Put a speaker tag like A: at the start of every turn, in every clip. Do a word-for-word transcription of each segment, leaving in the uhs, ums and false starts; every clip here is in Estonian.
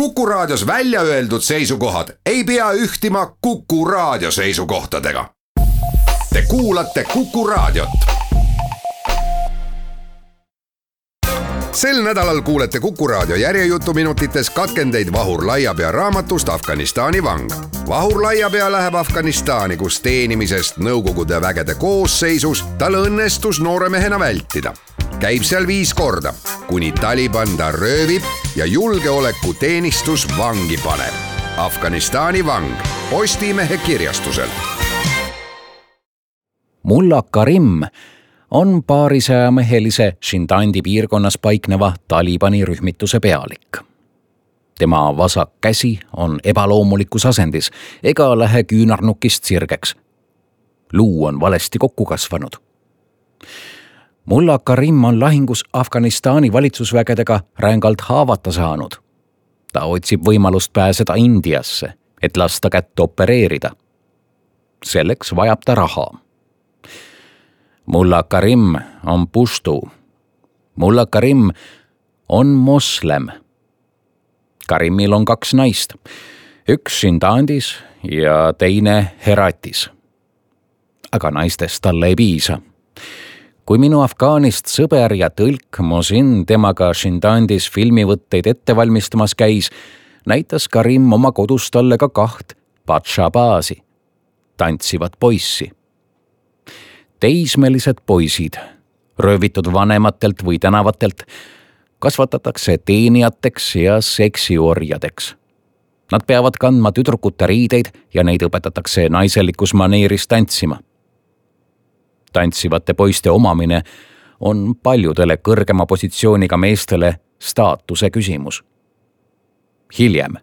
A: Kuku Raadios välja öeldud seisukohad ei pea ühtima Kuku Raadio seisukohtadega. Te kuulate Kuku Raadiot. Sel nädalal kuulete Kuku Raadio järjejutuminutites katkendeid Vahur Laiapea raamatust Afganistani vang. Vahur Laiapea läheb Afganistani, kus teenimisest Nõukogude vägede koosseisus tal õnnestus nooremehena vältida. Käib seal viis korda, kuni Taliban ta röövib ja julgeolekuteenistus vangi paneb. Afganistani vang Postimehe kirjastuselt.
B: Mulla Karim on paarisajamehelise Shindandi piirkonnas paikneva Talibani rühmituse pealik. Tema vasak käsi on ebaloomulikus asendis ega lähe küünarnukist sirgeks. Luu on valesti kokku kasvanud. Mulla Karim on lahingus Afganistani valitsusvägedega rängalt haavata saanud. Ta otsib võimalust pääseda Indiasse, et lasta kätt opereerida. Selleks vajab ta raha. Mulla Karim on puštu. Mulla Karim on moslem. Karimil on kaks naist, üks Shindandis ja teine Heratis. Aga naistest talle ei piisa. Kui minu Afgaanist sõber ja tõlk Mosin temaga Shindandis filmivõtteid ette valmistamas käis, näitas Karim oma kodus talle ka kaht Batshabazi, tantsivat poissi. Teismelised poisid, röövitud vanematelt või tänavatelt, kasvatatakse teenijateks ja seksiorjadeks. Nad peavad kandma tüdrukute riideid ja neid õpetatakse naiselikus maneeris tantsima. Tantsivate poiste omamine on paljudele kõrgema positsiooniga meestele staatuse küsimus. Hiljem,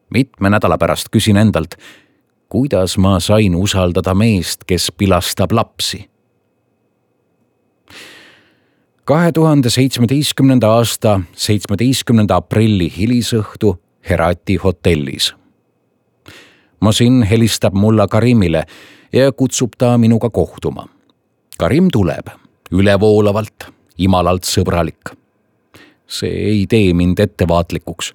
B: mitme nädala pärast küsin endalt, kuidas ma sain usaldada meest, kes pilastab lapsi. kahe tuhande seitsmeteistkümnenda aasta seitsmeteistkümnenda aprilli hilisõhtu Herati hotellis. Mosin helistab Mulla Karimile ja kutsub ta minuga kohtuma. Karim tuleb, ülevoolavalt, imalalt sõbralik. See ei tee mind ettevaatlikuks.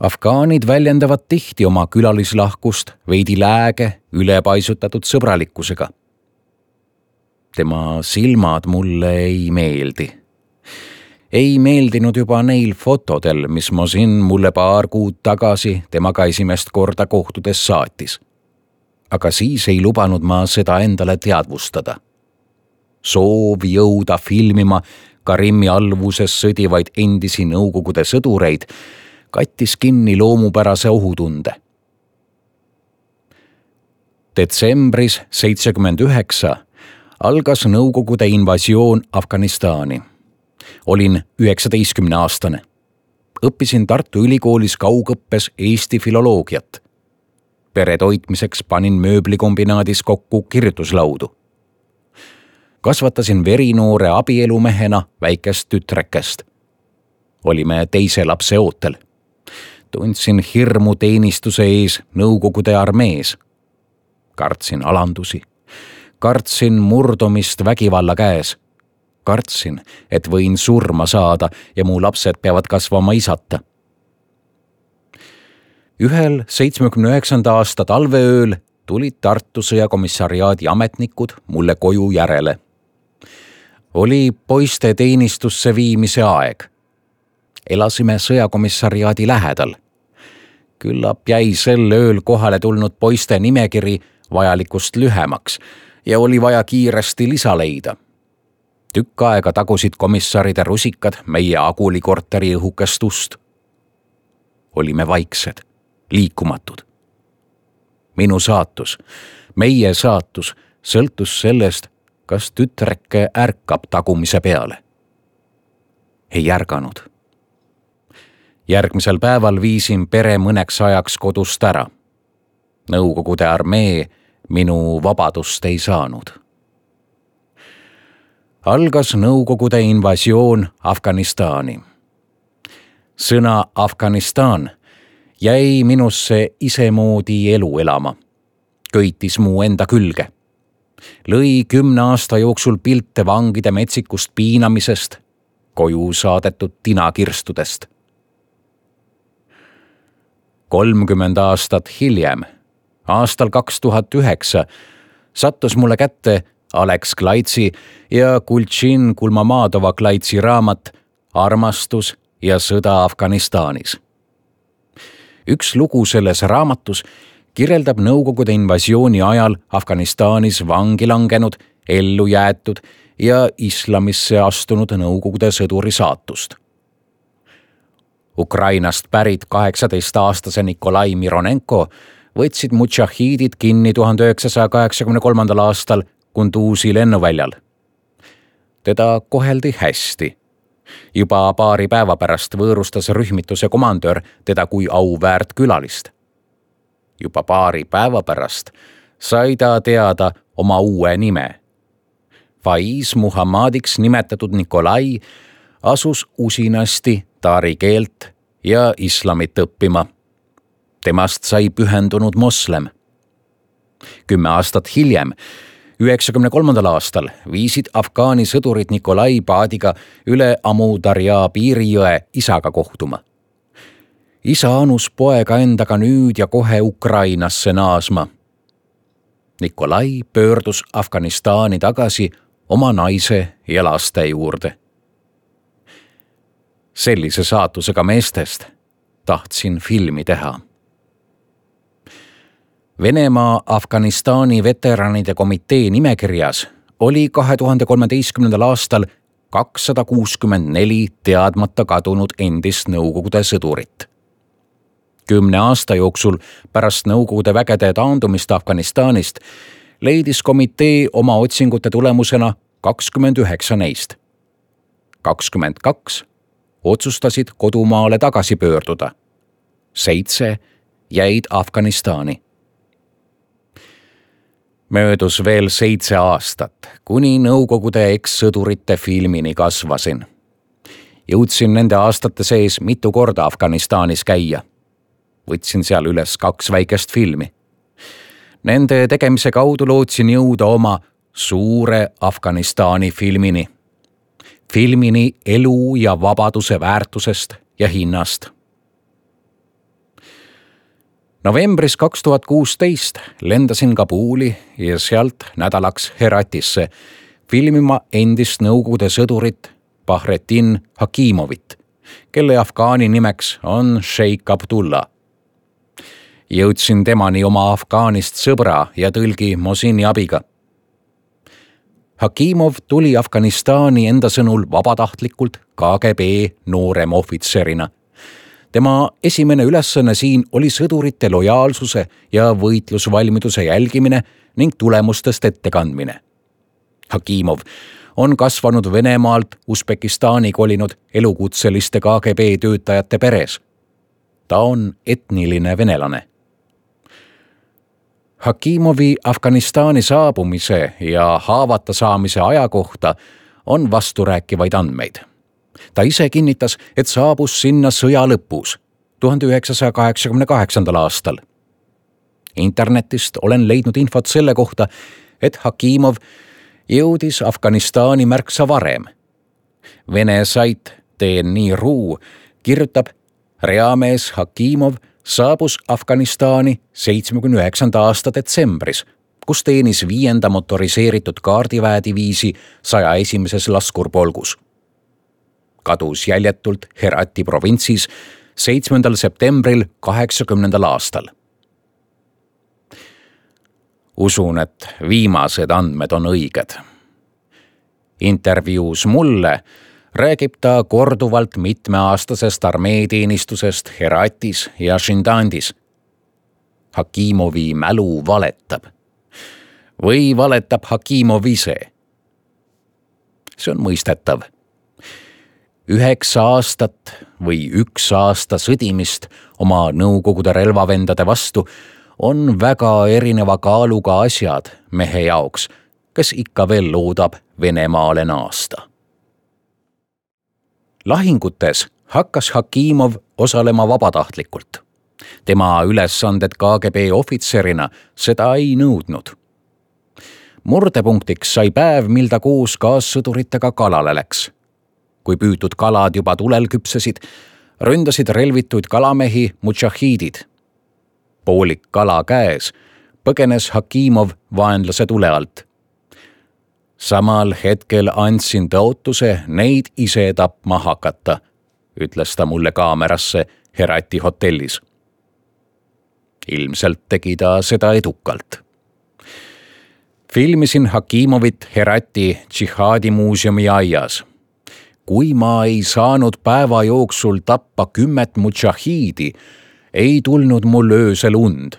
B: Afgaanid väljendavad tihti oma külalislahkust veidi lääge, ülepaisutatud sõbralikkusega. Tema silmad mulle ei meeldi. Ei meeldinud juba neil fotodel, mis Mosin mulle paar kuud tagasi temaga esimest korda kohtudes saatis. Aga siis ei lubanud ma seda endale teadvustada. Soov jõuda filmima Karimi alluvuses sõdivaid endisi Nõukogude sõdureid kattis kinni loomupärase ohutunde. Detsembris seitsekümmend üheksa algas Nõukogude invasioon Afganistani. Olin üheksateistkümne aastane. Õppisin Tartu Ülikoolis kaugõppes eesti filoloogiat. Pere toitmiseks panin mööblikombinaadis kokku kirjutuslaudu. Kasvatasin verinoore abielumehena väikest tütrekest. Olime teise lapse ootel. Tundsin hirmu teenistuse ees Nõukogude armees. Kartsin alandusi. Kartsin murdumist vägivalla käes. Kartsin, et võin surma saada ja mu lapsed peavad kasvama isata. Ühel seitsmekümne üheksanda aasta talveööl tulid Tartu sõjakomissariaadi ametnikud mulle koju järele. Oli poiste teenistusse viimise aeg. Elasime sõjakomissariaadi lähedal. Küllap jäi sel ööl kohale tulnud poiste nimekiri vajalikust lühemaks ja oli vaja kiiresti lisa leida. Tükk aega tagusid komissaride rusikad meie agulikorteri õhukest ust. Olime vaiksed, liikumatud. Minu saatus, meie saatus sõltus sellest, kas tütreke ärkab tagumise peale. Ei ärganud. Järgmisel päeval viisin pere mõneks ajaks kodust ära. Nõukogude armee minu vabadust ei saanud. Algas Nõukogude invasioon Afganistani. Sõna Afganistan jäi minusse isemoodi elu elama. Köitis mu enda külge. Lõi kümne aasta jooksul pilte vangide metsikust piinamisest, koju saadetud tinakirstudest. kolmkümmend aastat hiljem, aastal kaks tuhat üheksa, sattus mulle kätte Alex Klaitsi ja Kultšin Kulmamadova Klaitsi raamat Armastus ja sõda Afganistanis. Üks lugu selles raamatus kirjeldab Nõukogude invasiooni ajal Afganistanis vangi langenud, ellu jäetud ja islamisse astunud Nõukogude sõduri saatust. Ukrainast pärit kaheksateistaastase Nikolai Mironenko võtsid mudžahiidid kinni tuhande üheksasaja kaheksakümne kolmandal aastal Kunduzi lennuväljal. Teda koheldi hästi. Juba paari päeva pärast võõrustas rühmituse komandör teda kui auväärt külalist. Juba paari päeva pärast sai ta teada oma uue nime. Faiz Muhammadiks nimetatud Nikolai asus usinasti taari keelt ja islamit õppima. Temast sai pühendunud moslem. Kümme aastat hiljem, üheksakümne kolmandal aastal, viisid Afgaani sõdurid Nikolai paadiga üle Amu Darja piirijõe isaga kohtuma. Isa anus poega endaga nüüd ja kohe Ukrainasse naasma. Nikolai pöördus Afganistani tagasi oma naise ja laste juurde. Sellise saatusega meestest tahtsin filmi teha. Venemaa Afganistani veteranide komitee nimekirjas oli kahe tuhande kolmeteistkümnendal aastal kakssada kuuskümmend neli teadmata kadunud endist Nõukogude sõdurit. Kümne aasta jooksul pärast Nõukogude vägede taandumist Afganistanist leidis komitee oma otsingute tulemusena kakskümmend üheksa neist. kakskümmend kaks otsustasid kodumaale tagasi pöörduda. Seitse jäid Afganistani. Möödus veel seitse aastat, kuni Nõukogude ekssõdurite filmini kasvasin. Jõudsin nende aastate sees mitu korda Afganistanis käia. Võtsin seal üles kaks väikest filmi. Nende tegemise kaudu lootsin jõuda oma suure Afganistani filmini. Filmini elu ja vabaduse väärtusest ja hinnast. Novembris kaks tuhat kuusteist lendasin Kabuli ja sealt nädalaks Heratisse filmima endist Nõukogude sõdurit Bahretin Hakimovit, kelle afgaani nimeks on Sheikh Abdullah. Jõudsin temani oma Afgaanist sõbra ja tõlgi Mosini abiga. Hakimov tuli Afganistani enda sõnul vabatahtlikult K G B noorem ohvitserina. Tema esimene ülesanne siin oli sõdurite lojaalsuse ja võitlusvalmiduse jälgimine ning tulemustest ettekandmine. Hakimov on kasvanud Venemaalt Usbekistani kolinud elukutseliste K G B töötajate peres. Ta on etniline venelane. Hakimovi Afganistani saabumise ja haavata saamise aja kohta on vasturääkivaid andmeid. Ta ise kinnitas, et saabus sinna sõja lõpus, tuhande üheksasaja kaheksakümne kaheksandal aastal. Internetist olen leidnud infot selle kohta, et Hakimov jõudis Afganistani märksa varem. Vene sait T N I R U kirjutab, reamees Hakimov saabus Afganistani seitsmekümne üheksanda aasta detsembris, kus teenis viienda motoriseeritud kaardiväediviisi saja esimeses laskurpolgus. Kadus jäljetult Herati provintsis seitsmendal septembril kaheksakümnendal aastal. Usun, et viimased andmed on õiged. Intervjuus mulle räägib ta korduvalt mitmeaastasest armeeteenistusest Heratis ja Shindandis. Hakimovi mälu valetab. Või valetab Hakimov ise? See on mõistetav. Üheksa aastat või üks aasta sõdimist oma Nõukogude relvavendade vastu on väga erineva kaaluga asjad mehe jaoks, kes ikka veel loodab Venemaale naasta. Lahingutes hakkas Hakimov osalema vabatahtlikult. Tema ülesanded K G B ohvitserina seda ei nõudnud. Murdepunktiks sai päev, mil ta koos kaassõduritega kalale läks. Kui püütud kalad juba tulel küpsesid, ründasid relvituid kalamehi mudžahiidid poolik kala käes, põgenes Hakimov vaenlase tule alt. Samal hetkel andsin tõotuse neid ise tapma hakata, ütles ta mulle kaamerasse Herati hotellis. Ilmselt tegi ta seda edukalt. Filmisin Hakimovit Herati džihaadimuuseumi aias. Kui ma ei saanud päeva jooksul tappa kümmet mudžahiidi, ei tulnud mul öösel und,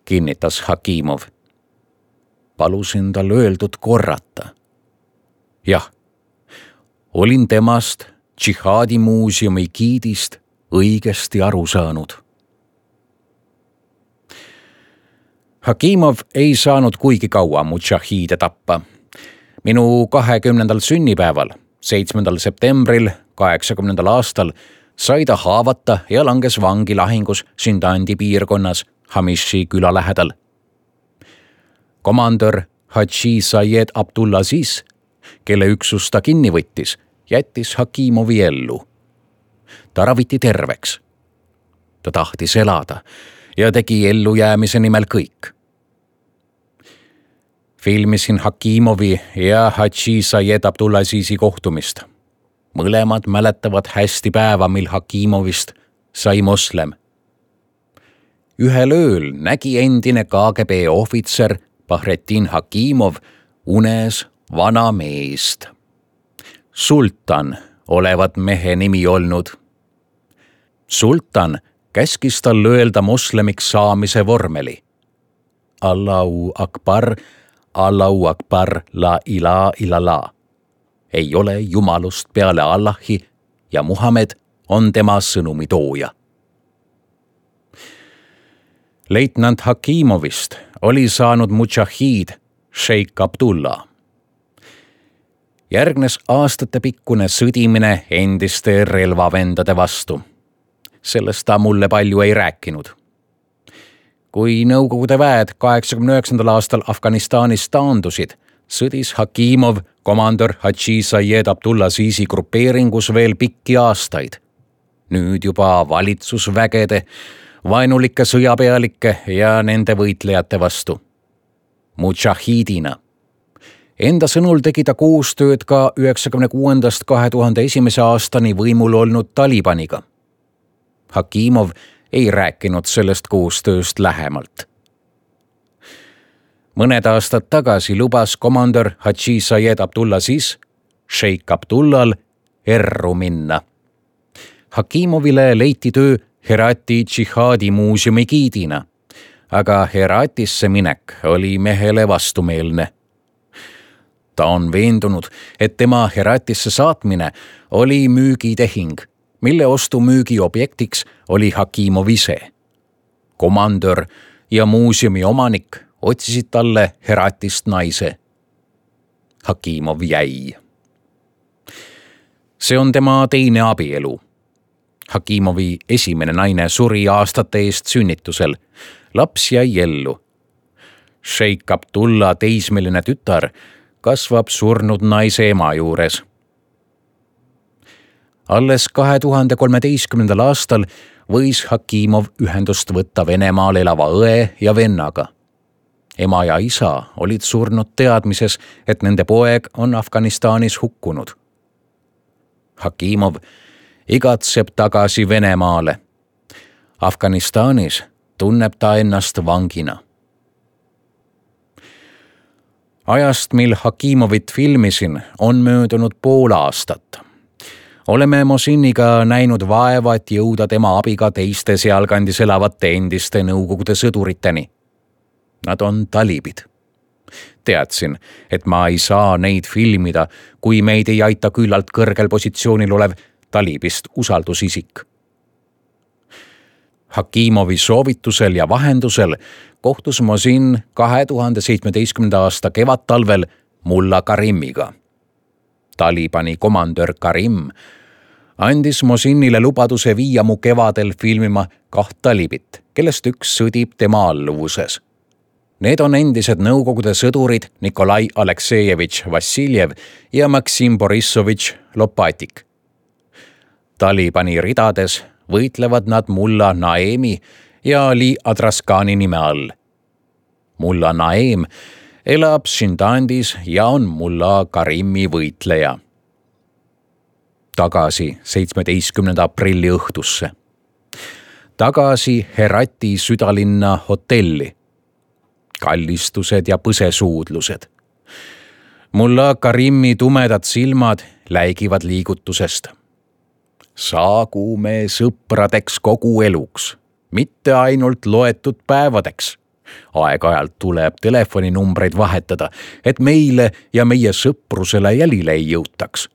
B: kinnitas Hakimov. Palusin tal öeldud korrata. Jah, olin temast džihaadimuuseumi giidist õigesti aru saanud. Hakimov ei saanud kuigi kaua mudžahiide tappa. Minu kahekümnendal sünnipäeval, seitsmendal septembril kaheksakümnendal aastal, sai ta haavata ja langes vangi lahingus Sindandi piirkonnas Hamishi küla lähedal. Komandör Hadži Sayed Abdulaziz, kelle üksus ta kinni võttis, jättis Hakimovi ellu. Ta raviti terveks. Ta tahtis elada ja tegi ellujäämise nimel kõik. Filmisin Hakimovi ja Hadži Sayed Abdulazizi kohtumist. Mõlemad mäletavad hästi päeva, mil Hakimovist sai moslem. Ühel ööl nägi endine K G B ohvitser Bahretin Hakimov unes vana meest. Sultan olevat mehe nimi olnud. Sultan käskis tal öelda moslemiks saamise vormeli. Allahu Akbar, Allahu Akbar, la ilaha illallah. Ei ole jumalust peale Allahi ja Muhamed on tema sõnumi tooja. Leitnant Hakimovist oli saanud mudžahiid Sheikh Abdullah. Järgnes aastatepikkune sõdimine endiste relvavendade vastu. Sellest ta mulle palju ei rääkinud. Kui Nõukogude väed kaheksakümne üheksandal aastal Afganistanis taandusid, sõdis Hakimov komandör Hadži Sayed Abdulazizi grupeeringus veel pikki aastaid. Nüüd juba valitsusvägede, vaenulike sõjapealike ja nende võitlejate vastu. Mudžahiidina. Enda sõnul tegi ta koostööd ka üheksakümne kuuendast kahe tuhande esimese aastani võimul olnud Talibaniga. Hakimov ei rääkinud sellest koostööst lähemalt. Mõned aastad tagasi lubas komandör Hadži Sayed Abdulaziz Sheikh Abdullal erru minna. Hakimovile leiti töö Herati džihaadimuuseumi giidina, aga Heratisse minek oli mehele vastumeelne. Ta on veendunud, et tema Heratisse saatmine oli müügitehing, mille ostu-müügi objektiks oli Hakimov ise. Komandör ja muuseumi omanik otsisid talle Heratist naise. Hakimov jäi. See on tema teine abielu. Hakimovi esimene naine suri aastate eest sünnitusel. Laps jäi ellu. Sheikh Abdullah teismeline tütar kasvab surnud naise ema juures. Alles kahe tuhande kolmeteistkümnendal aastal võis Hakimov ühendust võtta Venemaal elava õe ja vennaga. Ema ja isa olid surnud teadmises, et nende poeg on Afganistanis hukkunud. Hakimov igatseb tagasi Venemaale. Afganistanis tunneb ta ennast vangina. Ajast, mil Hakimovit filmisin, on möödunud pool aastat. Oleme Mosiniga näinud vaeva, et jõuda tema abiga teiste sealkandis elavate endiste Nõukogude sõduriteni. Nad on talibid. Teadsin, et ma ei saa neid filmida, kui meid ei aita küllalt kõrgel positsioonil olev talibist usaldusisik. Hakimovi soovitusel ja vahendusel kohtus Mosin kahe tuhande seitsmeteistkümnenda aasta kevadtalvel Mulla Karimiga. Talibani komandör Karim andis Mosinile lubaduse viia mu kevadel filmima kaht talibit, kellest üks sõdib tema alluvuses. Need on endised Nõukogude sõdurid Nikolai Aleksejevitš Vassiljev ja Maksim Borissovitš Lopatik. Talibani ridades võitlevad nad Mulla Naemi ja Ali Adraskani nime all. Mulla Naeem elab Shindandis ja on mulla Karimi võitleja. Tagasi seitsmeteistkümnenda aprilli õhtusse. Tagasi Herati südalinna hotelli. Kallistused ja põsesuudlused. Mulla Karimi tumedad silmad läigivad liigutusest. Saagu me sõpradeks kogu eluks, mitte ainult loetud päevadeks. Aeg-ajalt tuleb telefoninumbreid vahetada, et meile ja meie sõprusele jälile ei jõutaks.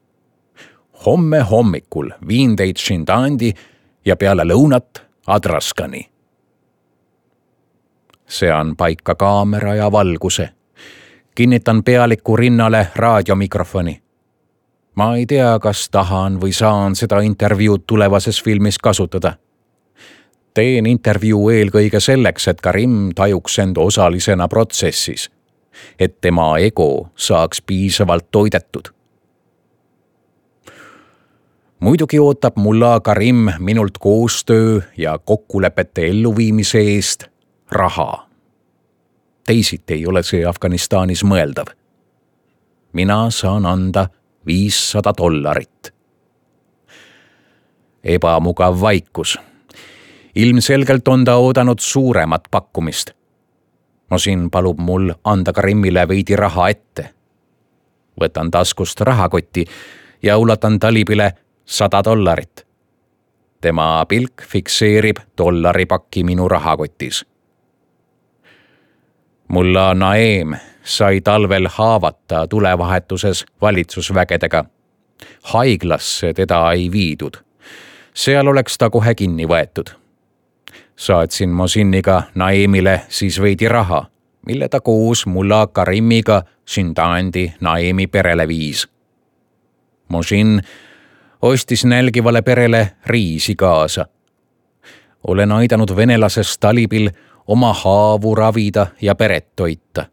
B: Homme hommikul viin teid Shindandi ja peale lõunat Adraskani. Sean paika kaamera ja valguse. Kinnitan pealiku rinnale raadiomikrofoni. Ma ei tea, kas tahan või saan seda intervjuud tulevases filmis kasutada. Teen intervjuu eelkõige selleks, et Karim tajuks end osalisena protsessis, et tema ego saaks piisavalt toidetud. Muidugi ootab mulla Karim minult koostöö ja kokkulepete elluviimise eest raha. Teisiti ei ole see Afganistanis mõeldav. Mina saan anda viissada dollarit. Ebamugav vaikus. Ilmselgelt on ta oodanud suuremat pakkumist. Mosin palub mul anda Karimile veidi raha ette. Võtan taskust rahakotti ja ulatan talibile sada dollarit. Tema pilk fikseerib dollaripakki minu rahakotis. Mulla Naeem sai talvel haavata tulevahetuses valitsusvägedega. Haiglasse teda ei viidud. Seal oleks ta kohe kinni võetud. Saatsin Mosiniga Naeemile siis veidi raha, mille ta koos mulla Karimiga Shindandi Naeemi perele viis. Mosin ostis nälgivale perele riisi kaasa. Olen aidanud venelasest talibil oma haavu ravida ja peret toita.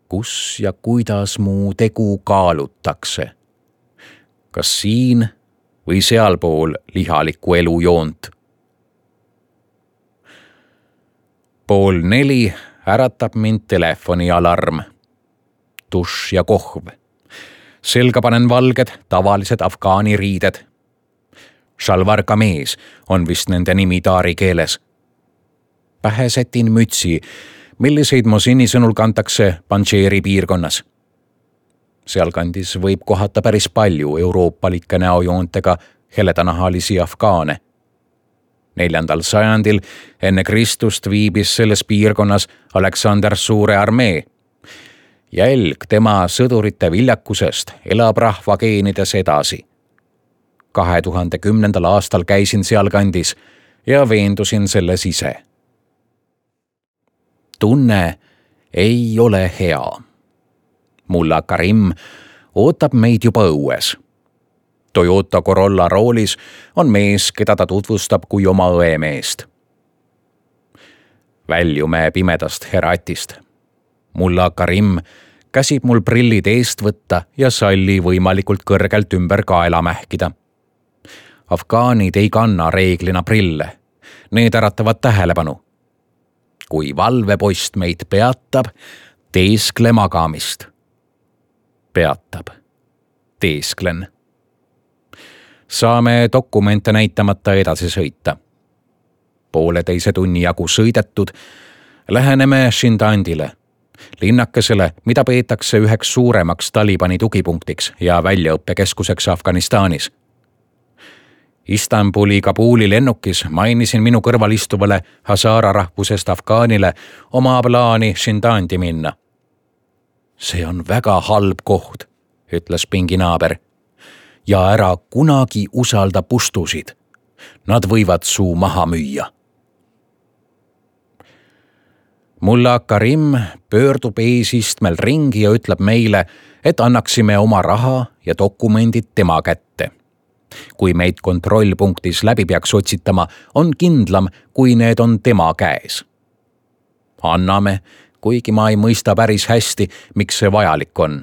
B: Kus ja kuidas mu tegu kaalutakse? Kas siin või sealpool lihalikku elujoont? Pool neli äratab mind telefonialarm. Duš ja kohv. Selga panen valged, tavalised afgaani riided. Shalwar kamees on vist nende nimi taari keeles. Pähe sätin mütsi, milliseid Mosini sõnul kantakse Panjshiri piirkonnas. Sealkandis võib kohata päris palju euroopalike näojoontega heledanahalisi afgaane. Neljandal sajandil enne Kristust viibis selles piirkonnas Aleksander Suure armee. Jälg tema sõdurite viljakusest elab rahva geenides edasi. kahe tuhande kümnendal aastal käisin sealkandis ja veendusin selles ise. Tunne ei ole hea. Mulla Karim ootab meid juba õues. Toyota Corolla roolis on mees, keda ta tutvustab kui oma õemeest. Väljume pimedast Heratist. Mulla Karim käsib mul prillid eest võtta ja salli võimalikult kõrgelt ümber kaela mähkida. Afgaanid ei kanna reeglina prille. Need äratavad tähelepanu. Kui valvepost meid peatab, teeskle magamist. Peatab. Teesklen. Saame dokumente näitamata edasi sõita. Pooleteise tunni jagu sõidetud, läheneme Shindandile, linnakesele, mida peetakse üheks suuremaks Talibani tugipunktiks ja väljaõppekeskuseks Afganistanis. Istanbuli Kabuli lennukis mainisin minu kõrval istuvale Hazara rahvusest afgaanile oma plaani Shindandi minna. See on väga halb koht, ütles pinginaaber. Ja ära kunagi usalda pustusid. Nad võivad suu maha müüa. Mulla Karim pöördub eesistmel ringi ja ütleb meile, et annaksime oma raha ja dokumendid tema kätte. Kui meid kontrollpunktis läbi peaks otsitama, on kindlam, kui need on tema käes. Anname, kuigi ma ei mõista päris hästi, miks see vajalik on.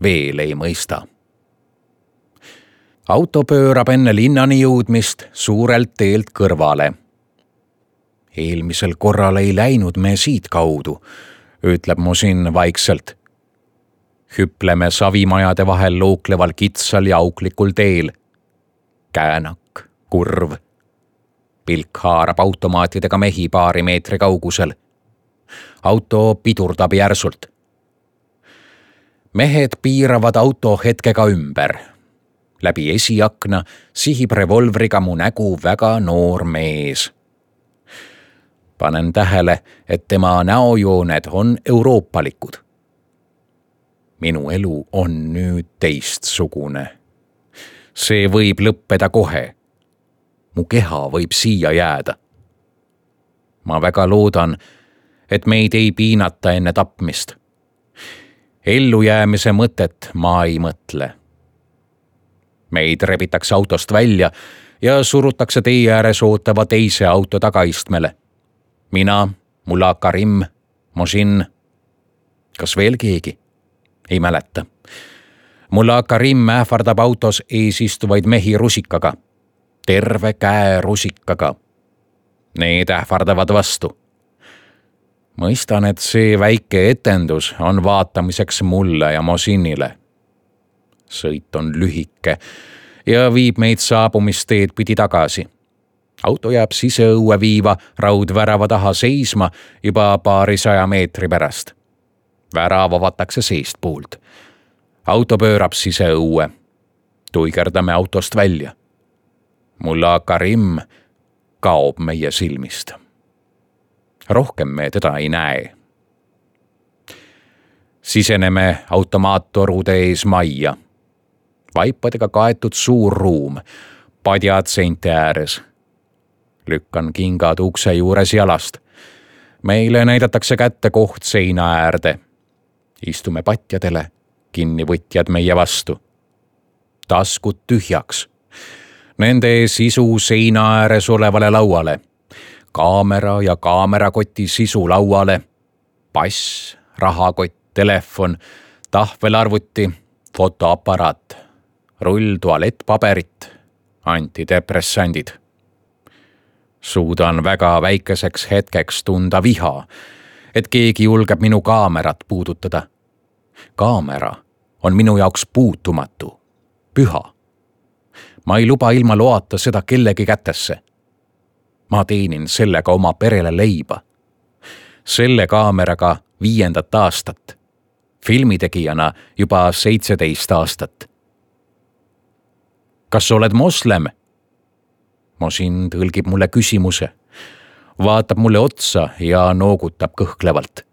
B: Veel ei mõista. Auto pöörab enne linnani jõudmist suurelt teelt kõrvale. eelmisel korral ei läinud me siit kaudu, ütleb Mosin vaikselt. Hüpleme savimajade vahel lookleval kitsal ja auklikul teel. Käänak, kurv. Pilk haarab automaatidega mehi paari meetri kaugusel. Auto pidurdab järsult. Mehed piiravad auto hetkega ümber. Läbi esiakna sihib revolvriga mu nägu väga noor mees. Panen tähele, et tema näojooned on euroopalikud. Minu elu on nüüd teistsugune. See võib lõppeda kohe. Mu keha võib siia jääda. Ma väga loodan, et meid ei piinata enne tapmist. Ellujäämise mõtet ma ei mõtle. Meid rebitakse autost välja ja surutakse tee ääres ootava teise auto tagaistmele. Mina, Mullah Karim, Mosin. Kas veel keegi? Ei mäleta. Mullah Karim ähvardab autos ees istuvaid mehi rusikaga. Terve käe rusikaga. Need ähvardavad vastu. Mõistan, et see väike etendus on vaatamiseks mulle ja Mosinile. Sõit on lühike ja viib meid saabumisteed pidi tagasi. Auto jääb siseõue viiva raudvärava taha seisma juba paarisaja meetri pärast. Värav avatakse seestpoolt. Auto pöörab siseõue. Tuigerdame autost välja. Mullah Karim kaob meie silmist. Rohkem me teda ei näe. Siseneme automaattorude ees majja. Vaipadega kaetud suur ruum, padjad seinte ääres. Lükkan kingad ukse juures jalast. Meile näidatakse kätte koht seina äärde. Istume patjadele, kinnivõtjad meie vastu. Taskud tühjaks. Nende sisu seina ääres olevale lauale. Kaamera ja kaamerakoti sisu lauale. Pass, rahakott, telefon, tahvelarvuti, fotoaparaat, rull tualettpaberit, antidepressandid. Suudan väga väikeseks hetkeks tunda viha, et keegi julgeb minu kaamerat puudutada. Kaamera on minu jaoks puutumatu, püha. Ma ei luba ilma loata seda kellegi kätesse. Ma teenin sellega oma perele leiba. Selle kaameraga viiendat aastat. Filmitegijana juba seitseteist aastat. Kas oled moslem? Mosin tõlgib mulle küsimuse. Vaatab mulle otsa ja noogutab kõhklevalt.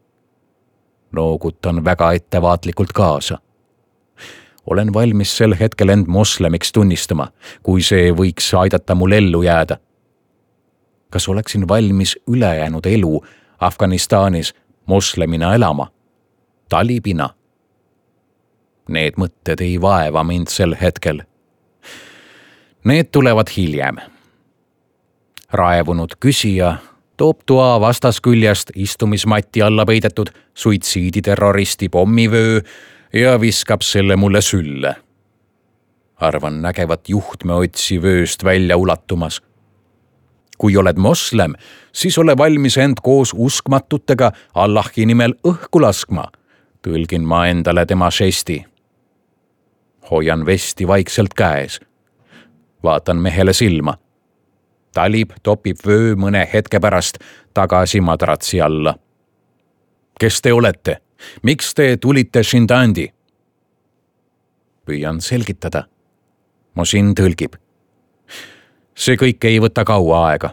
B: Noogutan väga ettevaatlikult kaasa. Olen valmis sel hetkel end moslemiks tunnistama, kui see võiks aidata mul ellu jääda. Kas oleksin valmis ülejäänud elu Afganistanis moslemina elama? Talibina? Need mõtted ei vaeva mind sel hetkel. Need tulevad hiljem. Raevunud küsija toob toa vastasküljest istumismatti alla peidetud suitsiiditerroristi pommivöö ja viskab selle mulle sülle. Arvan nägevat juhtmeotsi vööst välja ulatumas. Kui oled moslem, siis ole valmis end koos uskmatutega Allahi nimel õhku laskma, tõlgin ma endale tema žesti. Hoian vesti vaikselt käes. Vaatan mehele silma. Talib topib vöö mõne hetke pärast tagasi madratsi alla. Kes te olete? Miks te tulite Shindandi? Püüan selgitada. Mosin tõlgib. See kõik ei võta kaua aega.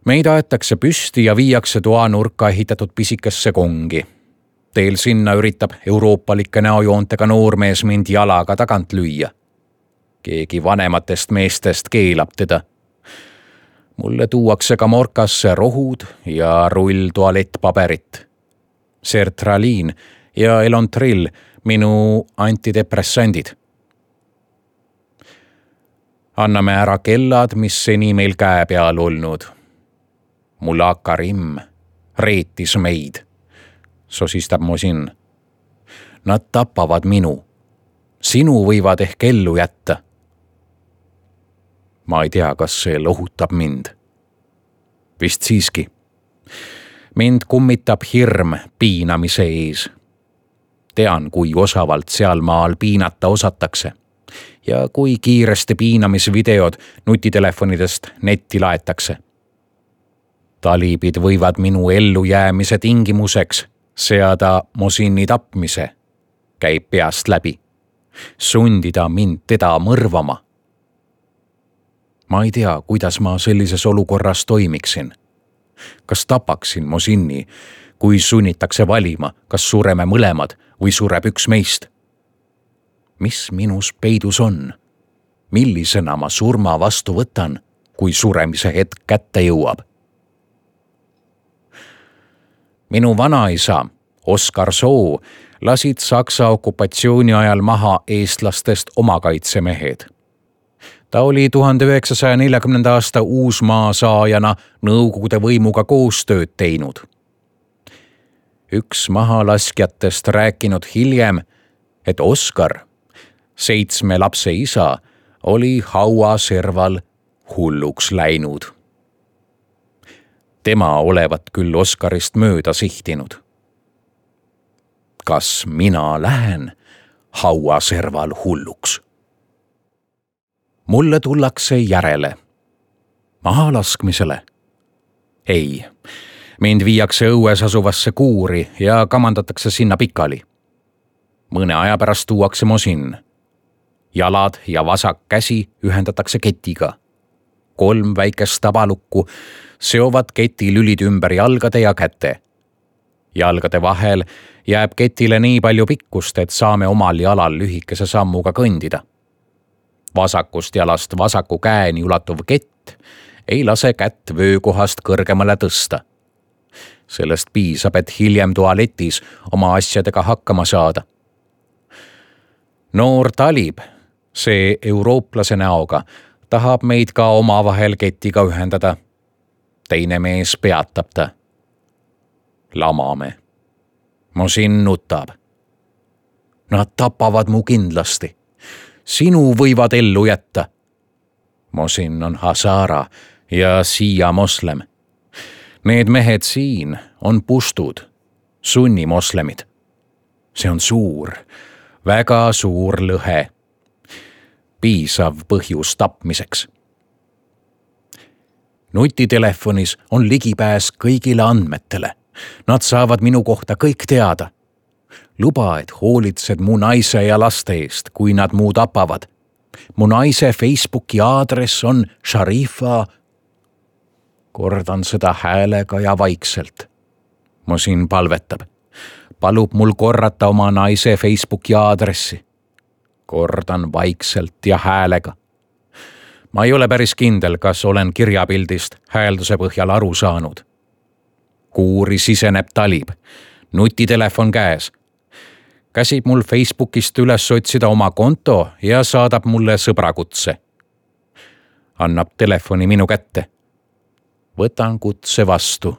B: Meid aetakse püsti ja viiakse toanurka ehitatud pisikesse kongi. Teel sinna üritab euroopalike näojoontega noormees mind jalaga tagant lüüa. Keegi vanematest meestest keelab teda. Mulle tuuakse ka morkasse rohud ja rull tualettpaberit. Sertraliin ja Elontrill, minu antidepressandid. Anname ära kellad, mis seni meil käe peal olnud. Mullah Karim reetis meid, sosistab Mosin. Nad tapavad minu. Sinu võivad ehk ellu jätta. Ma ei tea, kas see lohutab mind. Vist siiski. Mind kummitab hirm piinamise ees. Tean, kui osavalt seal maal piinata osatakse ja kui kiiresti piinamisvideod nutitelefonidest netti laetakse. Talibid võivad minu ellujäämise tingimuseks seada Mohsini tapmise, käib peast läbi, sundida mind teda mõrvama. Ma ei tea, kuidas ma sellises olukorras toimiksin. Kas tapaksin Mohsini, kui sunnitakse valima, kas sureme mõlemad või sureb üks meist? Mis minus peidus on? Millisena ma surma vastu võtan, kui suremise hetk kätte jõuab? Minu vanaisa, Oskar Soo, lasid Saksa okupatsiooni ajal maha eestlastest omakaitsemehed. Ta oli tuhande üheksasaja neljakümnenda aasta Uusmaa saajana Nõukogude võimuga koostööd teinud. Üks mahalaskjatest rääkinud hiljem, et Oskar, seitsme lapse isa, oli hauaserval hulluks läinud. Tema olevat küll Oskarist mööda sihtinud. Kas mina lähen hauaserval hulluks? Mulle tullakse järele. Mahalaskmisele? Ei, mind viiakse õues asuvasse kuuri ja kamandatakse sinna pikali. Mõne aja pärast tuuakse Mohsin. Jalad ja vasak käsi ühendatakse ketiga. Kolm väikest tabalukku seovad keti lülid ümber jalgade ja käte. Jalgade vahel jääb ketile nii palju pikkust, et saame omal jalal lühikese sammuga kõndida. Vasakust jalast vasaku käeni ulatuv kett ei lase kätt vöökohast kõrgemale tõsta. Sellest piisab, et hiljem tualetis oma asjadega hakkama saada. Noor talib, see eurooplase näoga, tahab meid ka omavahel ketiga ühendada. Teine mees peatab ta. Lamame. Mohsin nutab. Nad tapavad mu kindlasti. Sinu võivad ellu jätta. Mohsin on Hazara ja siia moslem. Need mehed siin on puštud, sunni moslemid. See on suur, väga suur lõhe. Piisav põhjus tapmiseks. Nutitelefonis on ligipääs kõigile andmetele. Nad saavad minu kohta kõik teada. Luba, et hoolitsed mu naise ja laste eest, kui nad mu tapavad. Mu naise Facebooki aadress on Sharifa. Kordan seda häälega ja vaikselt. Mohsin palvetab. Palub mul korrata oma naise Facebooki aadressi. Kordan vaikselt ja häälega. Ma ei ole päris kindel, kas olen kirjapildist häälduse põhjal aru saanud. Kuuri siseneb talib. Nutitelefon käes. Käsib mul Facebookist üles otsida oma konto ja saadab mulle sõbrakutse. Annab telefoni minu kätte. Võtan kutse vastu.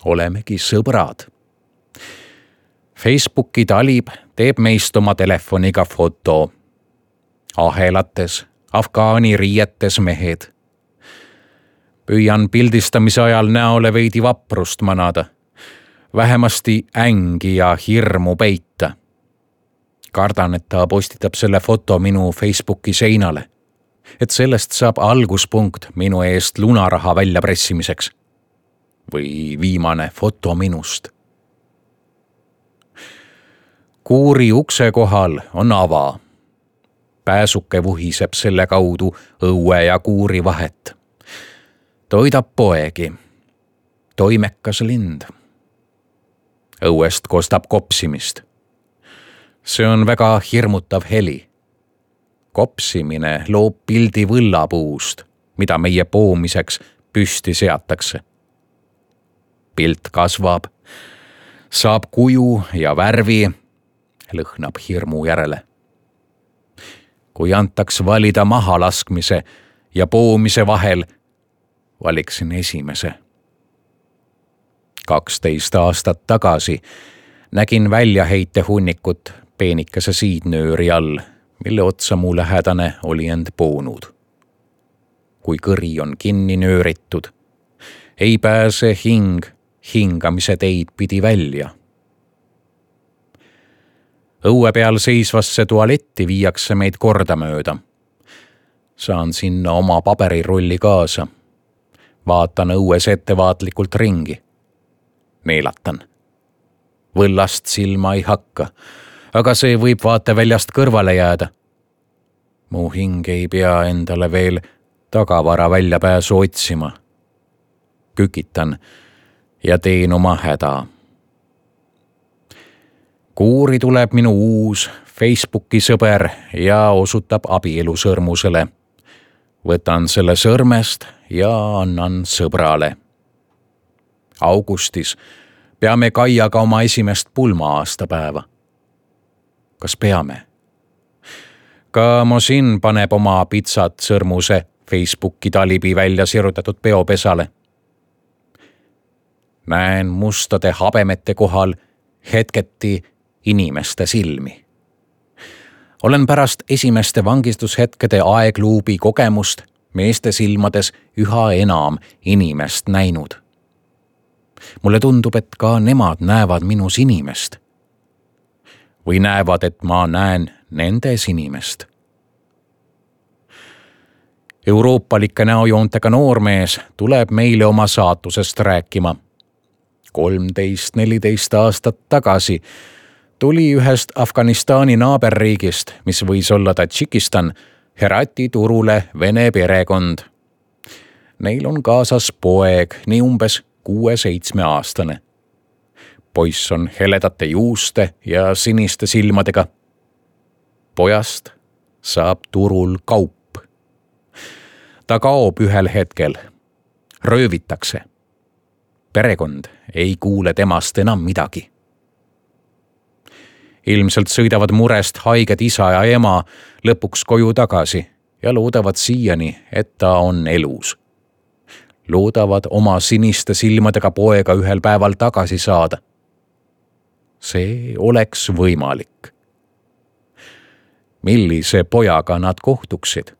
B: Olemegi sõbrad. Facebooki talib teeb meist oma telefoniga foto. Ahelates, afgaani riietes mehed. Püüan pildistamise ajal näole veidi vaprust manada. Vähemasti ängi ja hirmu peita. Kardan, et ta postitab selle foto minu Facebooki seinale. Et sellest saab alguspunkt minu eest lunaraha väljapressimiseks. Või viimane foto minust. Kuuri ukse kohal on ava. Pääsuke vuhiseb selle kaudu õue ja kuuri vahet. Toidab poegi. Toimekas lind. Õuest kostab kopsimist. See on väga hirmutav heli. Kopsimine loob pildi võllapuust, mida meie poomiseks püsti seatakse. Pilt kasvab, saab kuju ja värvi, lõhnab hirmu järele. Kui antaks valida mahalaskmise ja poomise vahel, valiksin esimese. kaksteist aastat tagasi nägin väljaheite hunnikut peenikese siidnööri all, mille otsa mu lähedane oli end poonud. Kui kõri on kinni nööritud, ei pääse hing hingamise teid pidi välja. Õue peal seisvasse tualetti viiakse meid kordamööda. Saan sinna oma paberirulli kaasa. Vaatan õues ettevaatlikult ringi. Neelatan. Võllast silma ei hakka, aga see võib vaateväljast kõrvale jääda. Mu hing ei pea endale veel tagavara väljapääsu otsima. Kükitan ja teen oma häda. Kuuri tuleb minu uus Facebooki sõber ja osutab abielusõrmusele. Võtan selle sõrmest ja annan sõbrale. Augustis peame Kaiaga oma esimest pulma-aastapäeva. Kas peame? Ka Mosin paneb oma pitsat sõrmuse Facebooki talibi välja sirutatud peopesale. Näen mustade habemete kohal hetketi inimeste silmi. Olen pärast esimeste vangistushetkede aegluubi kogemust meeste silmades üha enam inimest näinud. Mulle tundub, et ka nemad näevad minus inimest. Või näevad, et ma näen nendes inimest. Euroopalike näojoontega noormees tuleb meile oma saatusest rääkima. kolmteist neliteist aastat tagasi tuli ühest Afganistani naaberriigist, mis võis olla Tadžikistan, Herati turule vene perekond. Neil on kaasas poeg, nii umbes kuue-seitsme aastane. Poiss on heledate juuste ja siniste silmadega. Pojast saab turul kaup. Ta kaob ühel hetkel. Röövitakse. Perekond ei kuule temast enam midagi. Ilmselt sõidavad murest haiged isa ja ema lõpuks koju tagasi ja loodavad siiani, et ta on elus. Loodavad oma siniste silmadega poega ühel päeval tagasi saada. See oleks võimalik. Millise pojaga nad kohtuksid?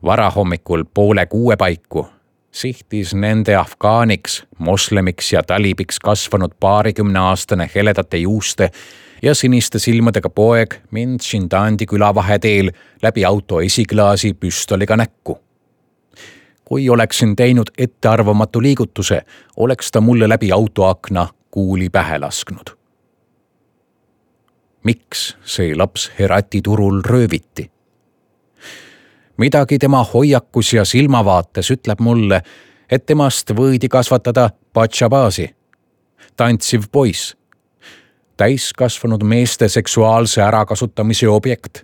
B: Varahommikul poole kuue paiku sihtis nende afgaaniks, moslemiks ja talibiks kasvanud paarikümne aastane heledate juuste ja siniste silmadega poeg mind Shindandi külavaheteel läbi auto esiklaasi püstoliga näkku. Kui oleksin teinud ettearvamatu liigutuse, oleks ta mulle läbi autoakna kuuli pähe lasknud. Miks see laps Herati turul rööviti? Midagi tema hoiakus ja silmavaates ütleb mulle, et temast võidi kasvatada Pachabazi, tantsiv poiss, täiskasvanud meeste seksuaalse ärakasutamise objekt.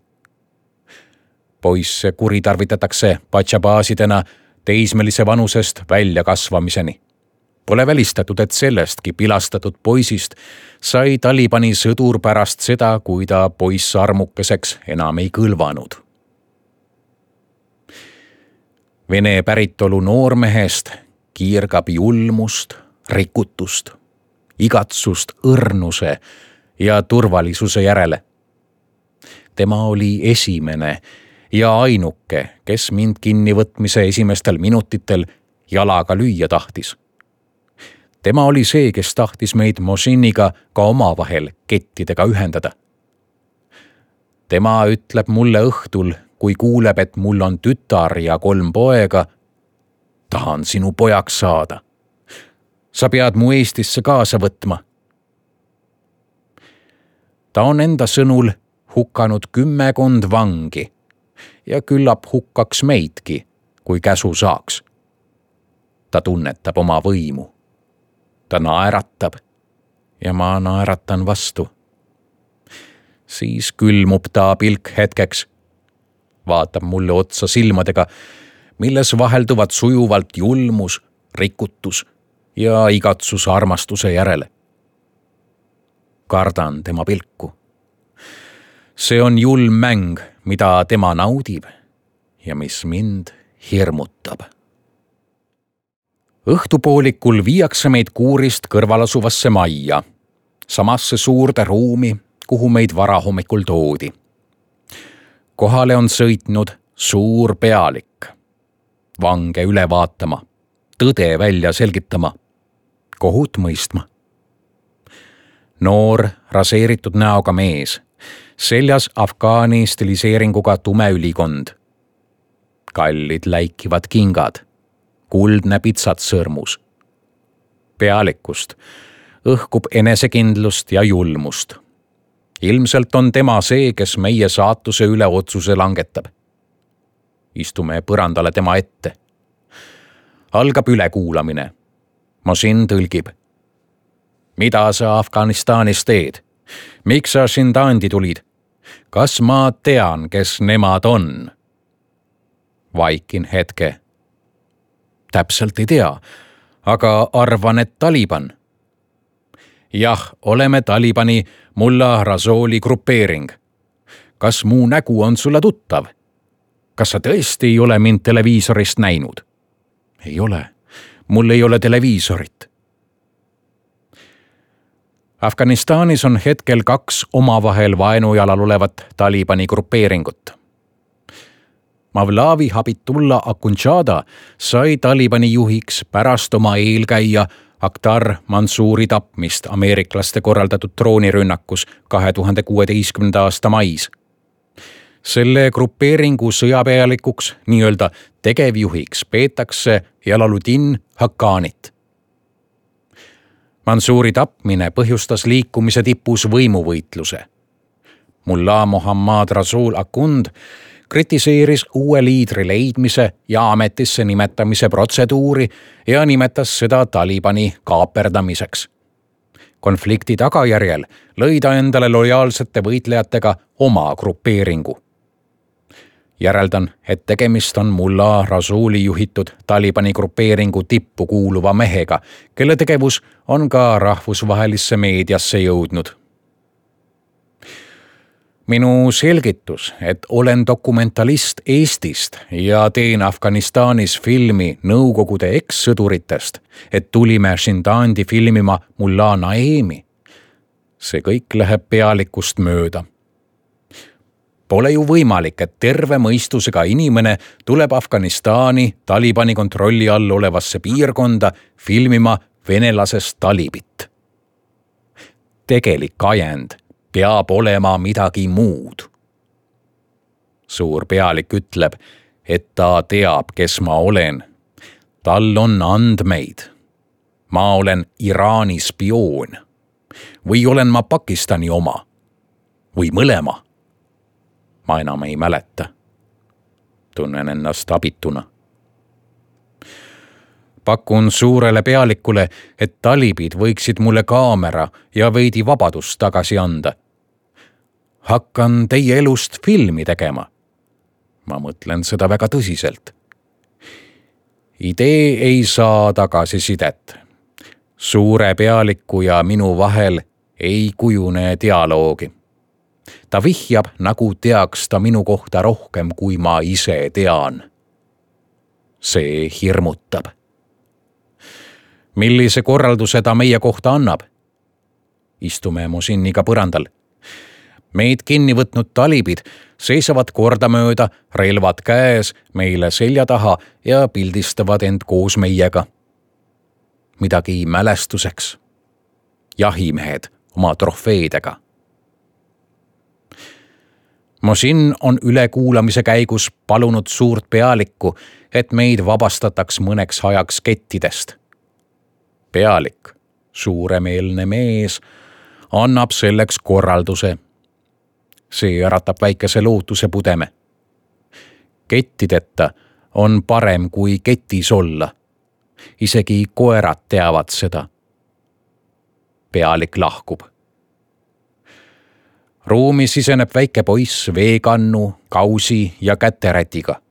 B: Poisse kuritarvitatakse Pachabazidena teismelise vanusest välja kasvamiseni. Pole välistatud, et sellestki pilastatud poisist sai Talibani sõdur pärast seda, kui ta poiss armukeseks enam ei kõlvanud. Vene päritolu noormehest kiirgab julmust, rikutust, igatsust õrnuse ja turvalisuse järele. Tema oli esimene ja ainuke, kes mind kinnivõtmise esimestel minutitel jalaga lüüa tahtis. Tema oli see, kes tahtis meid Mosiniga ka omavahel kettidega ühendada. Tema ütleb mulle õhtul, kui kuuleb, et mul on tütar ja kolm poega, tahan sinu pojaks saada. Sa pead mu Eestisse kaasa võtma. Ta on enda sõnul hukkanud kümmekond vangi ja küllap hukkaks meidki, kui käsu saaks. Ta tunnetab oma võimu. Ta naeratab ja ma naeratan vastu. Siis külmub ta pilk hetkeks. Vaatab mulle otsa silmadega, milles vahelduvad sujuvalt julmus, rikutus ja igatsus armastuse järele. Kardan tema pilku. See on julm mäng, mida tema naudib ja mis mind hirmutab. Õhtupoolikul viiakse meid kuurist kõrvalasuvasse majja, samasse suurde ruumi, kuhu meid varahommikul toodi. Kohale on sõitnud suur pealik. vange üle vaatama, tõde välja selgitama, kohut mõistma. Noor, raseeritud näoga mees, seljas afgaani stiliseeringuga tume ülikond. Kallid läikivad kingad, kuldne pitsat sõrmus. Pealikust õhkub enesekindlust ja julmust. Ilmselt on tema see, kes meie saatuse üle otsuse langetab. Istume põrandale tema ette. Algab ülekuulamine. Mosin tõlgib. Mida sa Afganistanis teed? Miks sa Shindandi tulid? Kas ma tean, kes nemad on? Vaikin hetke. Täpselt ei tea, aga arvan, et Taliban. Jah, oleme Talibani Mullah Rasuli grupeering. Kas muu nägu on sulle tuttav? Kas sa tõesti ei ole mind televiisorist näinud? Ei ole. Mul ei ole televiisorit. Afganistanis on hetkel kaks omavahel vaenujalal olevat Talibani grupeeringut. Mavlavi Habitullah Akhundzada sai Talibani juhiks pärast oma eelkäija Akhtar Mansouri tapmist ameeriklaste korraldatud droonirünnakus kahe tuhande kuueteistkümnenda aasta mais. Selle grupeeringu sõjapealikuks, nii-öelda tegevjuhiks peetakse Jalaluddin Haqqanit. Mansouri tapmine põhjustas liikumise tipus võimuvõitluse. Mullah Mohammad Rasul Akhund kritiseeris uue liidri leidmise ja ametisse nimetamise protseduuri ja nimetas seda Talibani kaaperdamiseks. Konflikti tagajärjel lõi ta endale lojaalsete võitlejatega oma grupeeringu. Järeldan, et tegemist on Mullah Rasuli juhitud Talibani grupeeringu tippu kuuluva mehega, kelle tegevus on ka rahvusvahelisse meediasse jõudnud. Minu selgitus, et olen dokumentalist Eestist ja teen Afganistanis filmi Nõukogude ekssõduritest, et tulime Shindandi filmima Mullah Naemi. See kõik läheb pealikust mööda. Pole ju võimalik, et terve mõistusega inimene tuleb Afganistani Talibani kontrolli all olevasse piirkonda filmima venelasest talibit. Tegelik ajend peab olema midagi muud. Suur pealik ütleb, et ta teab, kes ma olen. Tal on andmeid. Ma olen Iraani spioon. Või olen ma Pakistani oma? Või mõlema? Ma enam ei mäleta. Tunnen ennast abituna. Pakun suurele pealikule, et talibid võiksid mulle kaamera ja veidi vabadust tagasi anda. Hakkan teie elust filmi tegema. Ma mõtlen seda väga tõsiselt. Idee ei saa tagasisidet. Suure pealiku ja minu vahel ei kujune dialoogi. Ta vihjab, nagu teaks ta minu kohta rohkem, kui ma ise tean. See hirmutab. Millise korralduse ta meie kohta annab? Istume Mosiniga põrandal. Meid kinni võtnud talibid seisavad kordamööda, relvad käes, meile selja taha ja pildistavad end koos meiega. Midagi mälestuseks. Jahimehed oma trofeedega. Mosin on ülekuulamise käigus palunud suurt pealikku, et meid vabastataks mõneks ajaks kettidest. Pealik, suuremeelne mees, annab selleks korralduse. See äratab väikese lootuse pudeme. Kettideta on parem kui ketis olla. Isegi koerad teavad seda. Pealik lahkub. Ruumi siseneb väike poiss veekannu, kausi ja käterätiga.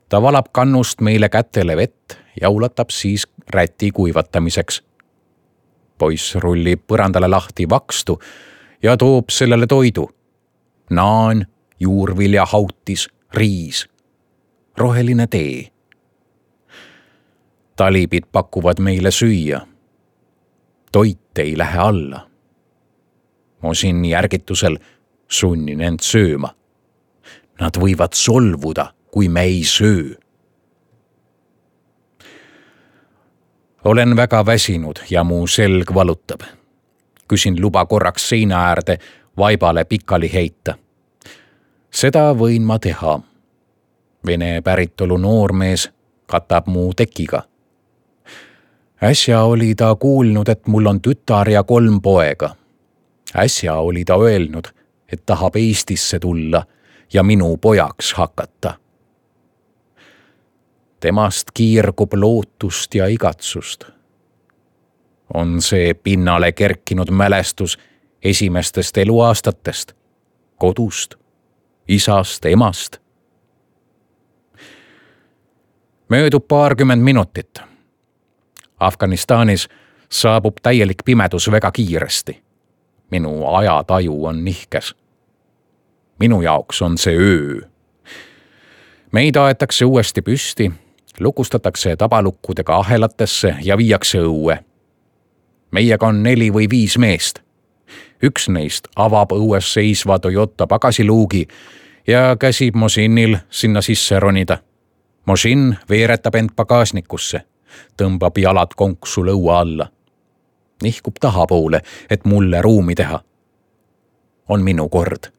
B: Ta valab kannust meile kätele vett ja ulatab siis räti kuivatamiseks. Poiss rullib põrandale lahti vakstu ja toob sellele toidu. Naan, juurvilja hautis, riis, roheline tee. Talibid pakuvad meile süüa. Toit ei lähe alla. Mosin järgitusel sunnin end sööma. Nad võivad solvuda, kui me ei söö. olen väga väsinud ja mu selg valutab. Küsin luba korraks seina äärde vaibale pikali heita. Seda võin ma teha. Vene päritolu noormees katab mu tekiga. Äsja oli ta kuulnud, et mul on tütar ja kolm poega. Äsja oli ta öelnud, et tahab Eestisse tulla ja minu pojaks hakata. Temast kiirgub lootust ja igatsust. On see pinnale kerkinud mälestus esimestest eluaastatest, kodust, isast, emast. Möödub paarkümmend minutit. Afganistanis saabub täielik pimedus väga kiiresti. Minu ajataju on nihkes. Minu jaoks on see öö. Meid aetakse uuesti püsti, lukustatakse tabalukkudega ahelatesse ja viiakse õue. Meiega on neli või viis meest. Üks neist avab õues seisva Toyota pagasiluugi ja käsib Mosinil sinna sisse ronida. Mosin veeretab end pagasnikusse, tõmbab jalad konksu lõua alla. Nihkub tahapoole, et mulle ruumi teha. On minu kord.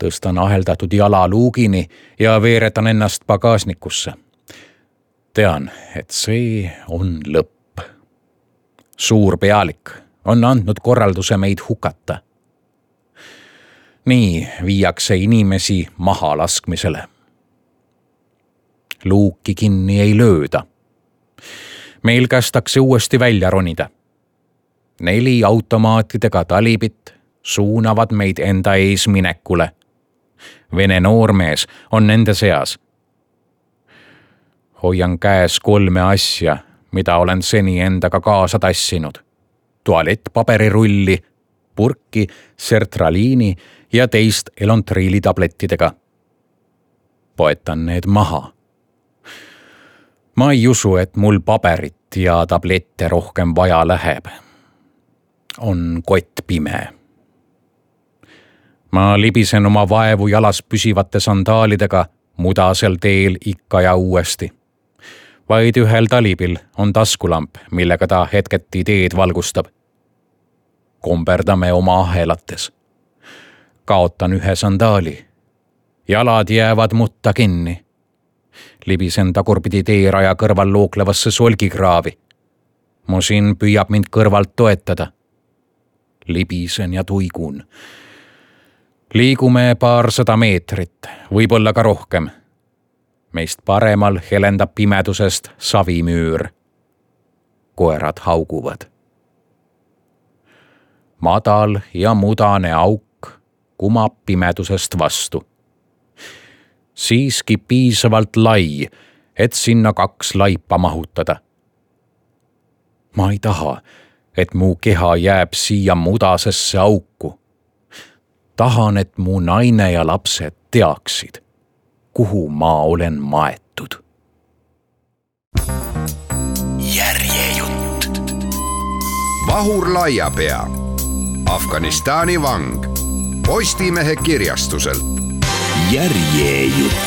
B: Tõstan aheldatud jala luugini ja veeretan ennast pagasnikusse. Tean, et see on lõpp. Suur pealik on andnud korralduse meid hukata. Nii viiakse inimesi maha laskmisele. Luuki kinni ei lööda. Meil kästakse uuesti välja ronida. Neli automaatidega talibit suunavad meid enda ees minekule. Vene noormees on nende seas. Hoian käes kolme asja, mida olen seni endaga kaasa tassinud. Tualettpaberirulli, purki, sertraliini ja teist elontriili tablettidega. Poetan need maha. Ma ei usu, et mul paberit ja tablette rohkem vaja läheb. On kott pime. Ma libisen oma vaevu jalas püsivate sandaalidega mudasel teel ikka ja uuesti. Vaid ühel talibil on taskulamp, millega ta hetketi teed valgustab. Komberdame oma ahelates. Kaotan ühe sandaali. Jalad jäävad mutta kinni. Libisen tagurpidi teeraja kõrval looklevasse solgikraavi. Mosin püüab mind kõrvalt toetada. Libisen ja tuigun. Liigume paarsada meetrit, võib-olla ka rohkem. Meist paremal helendab pimedusest savimüür. Koerad hauguvad. Madal ja mudane auk kumab pimedusest vastu. Siiski piisavalt lai, et sinna kaks laipa mahutada. Ma ei taha, et mu keha jääb siia mudasesse auku. Tahan, et mu naine ja lapsed teaksid, kuhu ma olen maetud.
A: Järjejutt. Vahur Laiapea. Afganistani vang. Postimehe kirjastuselt.
C: Järjejutt.